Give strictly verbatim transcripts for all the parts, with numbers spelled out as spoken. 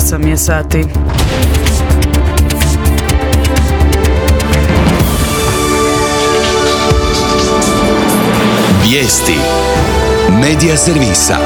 osam je sati. Vijesti Medija servisa.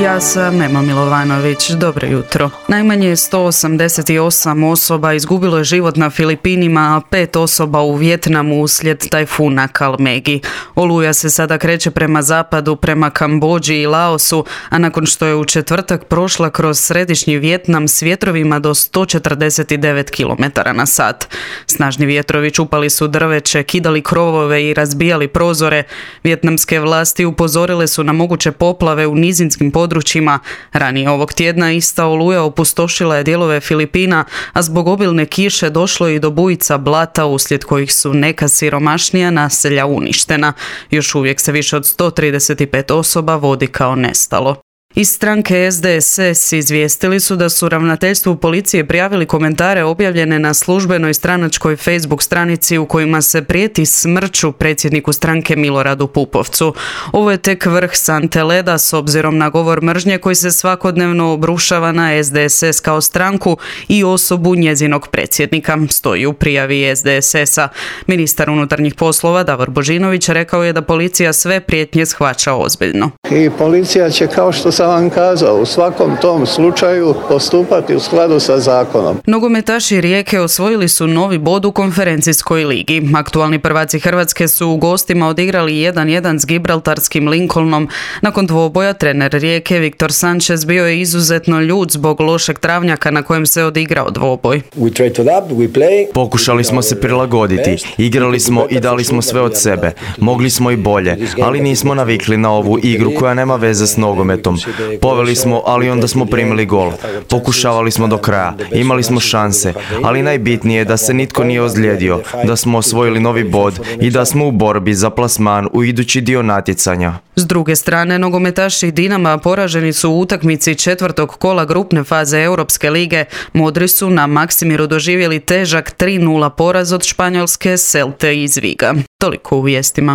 Ja sam Ema Milovanović, dobro jutro. Najmanje sto osamdeset osam osoba izgubilo je život na Filipinima, a pet osoba u Vijetnamu uslijed tajfuna Kalmegi. Oluja se sada kreće prema zapadu, prema Kambodži i Laosu, a nakon što je u četvrtak prošla kroz središnji Vijetnam s vjetrovima do sto četrdeset devet kilometara na sat. Snažni vjetrovi čupali su drveće, kidali krovove i razbijali prozore. Vijetnamske vlasti upozorile su na moguće poplave u nizinskim područjima. Ranije ovog tjedna ista oluja opustošila je dijelove Filipina, a zbog obilne kiše došlo i do bujica blata uslijed kojih su neka siromašnija naselja uništena. Još uvijek se više od sto trideset pet osoba vodi kao nestalo. Iz stranke S D S S izvijestili su da su ravnateljstvu policije prijavili komentare objavljene na službenoj stranačkoj Facebook stranici u kojima se prijeti smrću predsjedniku stranke Miloradu Pupovcu. Ovo je tek vrh sante leda s obzirom na govor mržnje koji se svakodnevno obrušava na S D S S kao stranku i osobu njezinog predsjednika, stoji u prijavi S D S S-a. Ministar unutarnjih poslova Davor Božinović rekao je da policija sve prijetnje shvaća ozbiljno. I policija će, kao što sam vam kazao, u svakom tom slučaju postupati u skladu sa zakonom. Nogometaši Rijeke osvojili su novi bod u konferencijskoj ligi. Aktualni prvaci Hrvatske su u gostima odigrali jedan jedan s Gibraltarskim Lincolnom. Nakon dvoboja trener Rijeke Viktor Sanchez bio je izuzetno ljut zbog lošeg travnjaka na kojem se odigrao dvoboj. Pokušali smo se prilagoditi, igrali smo i dali smo sve od sebe. Mogli smo i bolje, ali nismo navikli na ovu igru koja nema veze s nogometom. Poveli smo, ali onda smo primili gol. Pokušavali smo do kraja, imali smo šanse, ali najbitnije je da se nitko nije ozlijedio, da smo osvojili novi bod i da smo u borbi za plasman u idući dio natjecanja. S druge strane, nogometaši Dinama poraženi su u utakmici četvrtog kola grupne faze Europske lige. Modri su na Maksimiru doživjeli težak tri nula poraz od španjolske Celte iz Viga. Toliko u vijestima.